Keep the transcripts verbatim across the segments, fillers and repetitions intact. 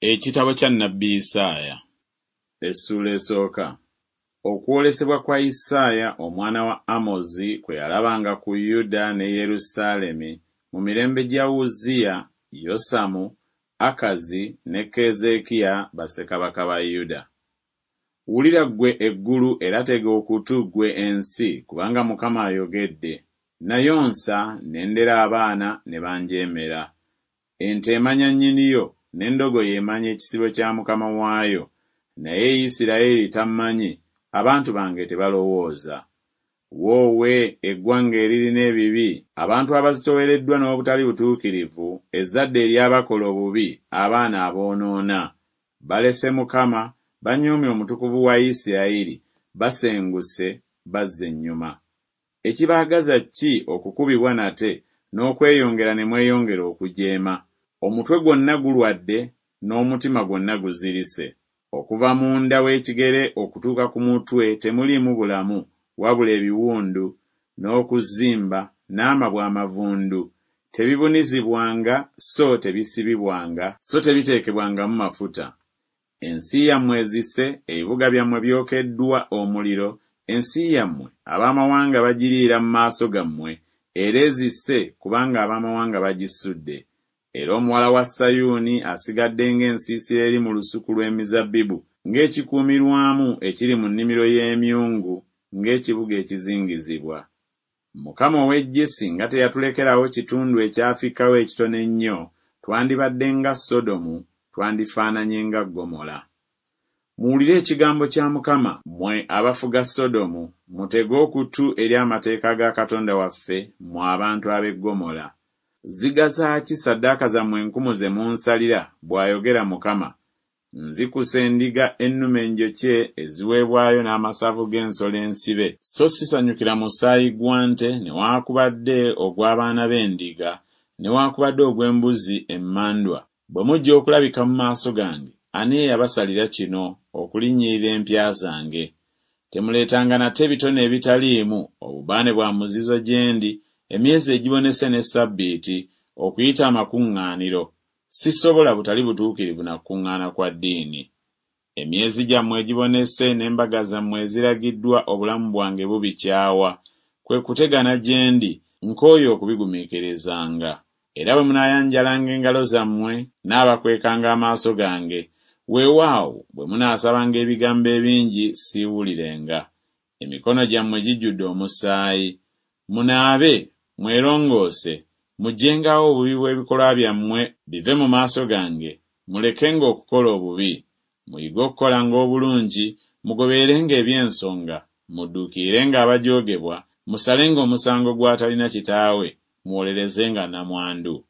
Ekitabo kya nnabbi Isaaya essuula esooka. Okwolesebwa kwa Isaaya omwana wa Amozi kwe yalabanga ku Yuda ne Yerusaalemi mu mirembe gya Uzziya, Yosamu, Akazi ne Keezeekiya bassekabaka ba Yuda. Wulira ggwe eggulu era tega okutu ggwe ensi, kubanga Mukama ayogedde. Nayonsa ne ndera abaana ne banjeemera. Ente emanya nnyiniyo, n'endogoyi emanya ekisibo kya mukama waayo, naye Isirayiri tammanyi, abantu bange tebalowooza. Woowe eggwanga eririna ebibi, abantu abazitoowereddwa n'obutali butuukirivu, ezzadde ery'abakola obubi, abaana aboonoona! Balese Mukama, banyoomye Omutukuvu wa Isirayiri, basenguse, bazza ennyuma. Ekibaagaza ki okukubibwa nate, n'okweyongera ne mweyongera okujeema? Omutwe gwonna gulwadde, n'omutima gwonna guzirise. Okuva munda w'ekigere okutuuka ku mutwe temuliimu bulamu, wabula ebiwundu, n'okuzimba, n'amabwa amavundu. Tebibunizibwanga so tebisibibwanga so tebiteekebwangamu mafuta. Ensi yammwe ezise, ebibuga byammwe byokeddwa omuliro, ensi yammwe ab'amawanga bagiriira mu maaso gammwe, era ezise kubanga ab'amawanga bagisudde. Era omuwala wa Sayuuni asigadde ng'ensiisira eri mu lusuku lw'emizabbibu, ng'ekikuumirwamu ekiri mu nnimiro y'emyungu, ng'ekibuga ekizingizibwa. Mukama ow'eggye singa teyatulekerawo kitundu ekyafikkawo ekitono ennyo, twandibadde nga Sodomu, twandifaananye nga Ggomola. Muwulire ekigambo kya Mukama, mmwe abafuga Sodomu, mutege okutu eri amateeka ga Katonda waffe, mmwe abantu ab'e Ggomola. Zigasa ki ssaddaaka zammwe enkumu ze munsalira, bw'ayogera Mukama. Nzikusa endiga ennume enjokye eziweebwayo n'amasavu g'ensolo ensibe, so sisanyukira musaayi gwa nte newaakubadde ogw'abaana b'endiga newaakubadde ogw'embuzi emmandwa. Bwe mujja okulabika mu maaso gange, ani eyabasalira kino okulinnyirira empya zange? Temuleetanga nate bitone ebitaliimu, obubaane bwa muzizo gye ndi, emyezi egibonese ne ssabbiiti, okuyita amakuŋŋaaniro. Sisobola butali butuukirivu na kukuŋŋaana kwa ddiini. Emyezi gyammwe egibonese n'embaga zammwe eziragiddwa obulamu bwange bubikyawa, kwe kutegana gye ndi, nkooye okubigumiikirizanga. Era bwe munaayanjalanga engalo zammwe, nnaabakwekanga amaaso gange. Weewaawo bwe munaasabanga ebigambo ebingi siiwulirenga. Emikono gyammwe gijjudde omusaayi. Munaabe, mwerongoose, muggyengawo obubi bw'ebikolwa byammwe bive mu maaso gange, mulekenga okukola obubi. Muyige okukolanga obulungi, mugobererenga eby'ensonga, mudduukirirenga abajoogebwa, musalenga omusango gw'atalina kitaawe, muwolerezenga nnamwandu.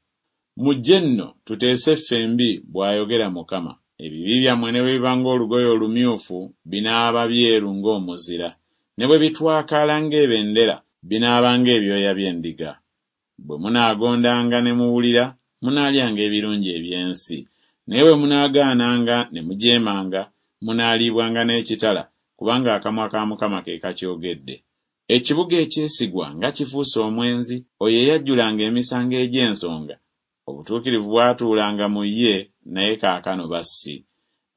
Mujje nno tuteese ffembi, bw'ayogera Mukama. Ebibi byammwe ne bwe biba ng'olugoye olumyufu, binaaba byeru ng'omuzira, ne bwe bitwakaala ng'ebendera, binaaba ng'ebyoya by'endiga. Bwe munaagondanga ne muwulira, munaalyanga ebirungi eby'ensi. Naye bwe munaagaananga ne mujeemanga, munaaliibwanga n'ekitala, kubanga akamwa ka Mukama ke kakyogedde. Ekibuga ekyesigwa nga kifuuse omwenzi, oyo eyajjulanga emisango egy'ensonga, obutuukirivu bwatuulanga mu ye, naye kaakano bassi.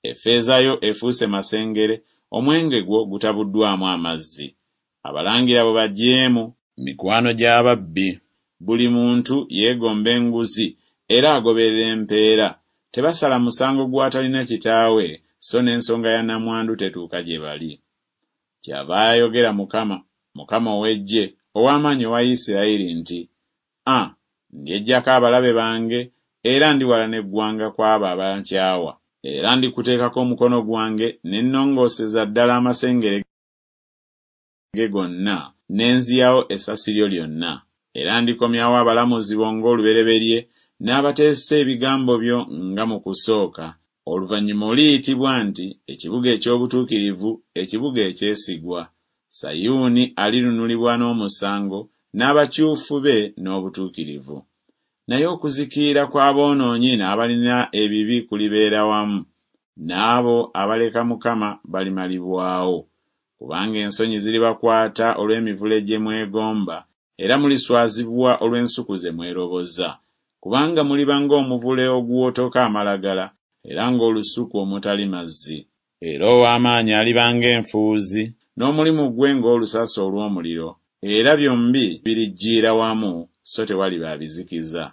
Effeeza yo efuuse masengere, omwenge gwo gutabuddwamu amazzi. Abalangira bo bajeemu, mikwano gy'ababbi. Buli muntu yeegomba enguzi era agoberera empeera. Tebasala musango gw'atalina kitaawe, so n'ensonga ya nnamwandu tetuuka gye bali. Kyava ayogera Mukama, Mukama ow'eggye, ow'amaanyi owa Isirayiri nti, A, ndyeggyako abalabe bange, era ndiwalana eggwanga ku abo abankyawa. Era ndikuteekako omukono gwange ne nnongooseza ddala amasengere ge gonna, ne nziyawo essasi lyo lyonna. Era ndikomyawo abalamuzi bo ng'olubereberye, n'abateesa ebigambo byo nga mu kusooka. Oluvannyuma oliyitibwa nti ekibuga eky'obutuukirivu, ekibuga ekyesigwa. Sayuuni alinunulibwa n'omusango, n'abakyufu be n'obutuukirivu. Naye okuzikirira kw'aboonoonyi n'abalina ebibi kulibeera wamu, n'abo abaleka Mukama balimalibwawo. Kubanga ensonyi ziribakwata olw'emivule gye mwegomba, era muliswazibwa olw'ensuku ze mweroboza. Kubanga muliba ng'omuvule oguwotoka amalagala, era ng'olusuku omutali mazzi. Era ow'amaanyi aliba ng'enfuuzi, n'omulimu gwe ng'olusasi olw'omuliro, era byombi birijjiira wamu, so tewaliba abizikiza.